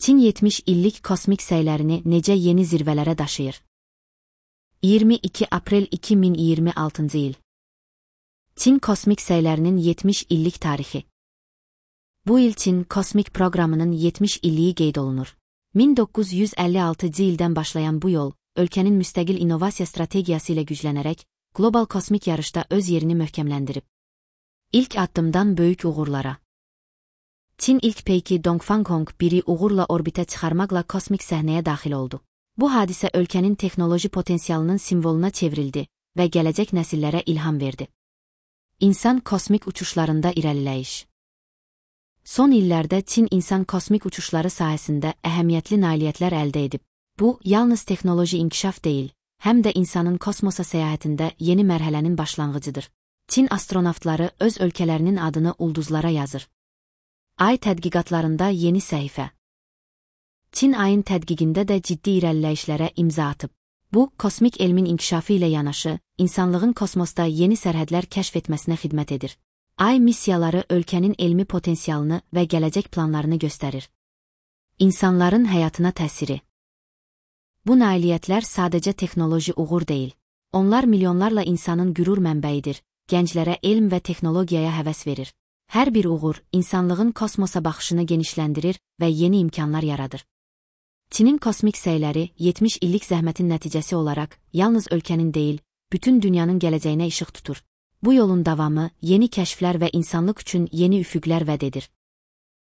Çin 70 illik kosmik səylərini necə yeni zirvələrə daşıyır? 22 aprel 2026 il. Çin kosmik səylərinin 70 illik tarixi. Bu il Çin kosmik proqramının 70 illiyi qeyd olunur. 1956 ildən başlayan bu yol, ölkənin müstəqil innovasiya strategiyası ilə güclənərək, qlobal kosmik yarışda öz yerini möhkəmləndirib. İlk addımdan böyük uğurlara. Çin ilk peyki Dongfang 1-i uğurla orbitə çıxarmaqla kosmik səhnəyə daxil oldu. Bu hadisə ölkənin texnoloji potensialının simvoluna çevrildi və gələcək nəsillərə ilham verdi. İnsan kosmik uçuşlarında irəliləyiş. Son illərdə Çin insan kosmik uçuşları sahəsində əhəmiyyətli nailiyyətlər əldə edib. Bu, yalnız texnoloji inkişaf deyil, həm də insanın kosmosa səyahətində yeni mərhələnin başlanğıcıdır. Çin astronavtları öz ölkələrinin adını ulduzlara yazır. Ay tədqiqatlarında yeni səhifə. Çin ayın tədqiqində də ciddi irəliləyişlərə imza atıb. Bu, kosmik elmin inkişafı ilə yanaşı, insanlığın kosmosda yeni sərhədlər kəşf etməsinə xidmət edir. Ay missiyaları ölkənin elmi potensialını və gələcək planlarını göstərir. İnsanların həyatına təsiri. Bu nailiyyətlər sadəcə texnoloji uğur deyil. Onlar milyonlarla insanın qürur mənbəyidir, gənclərə elm və texnologiyaya həvəs verir. Hər bir uğur, insanlığın kosmosa baxışını genişləndirir və yeni imkanlar yaradır. Çinin kosmik səyləri 70 illik zəhmətin nəticəsi olaraq, yalnız ölkənin deyil, bütün dünyanın gələcəyinə işıq tutur. Bu yolun davamı, yeni kəşflər və insanlıq üçün yeni üfüqlər vəd edir.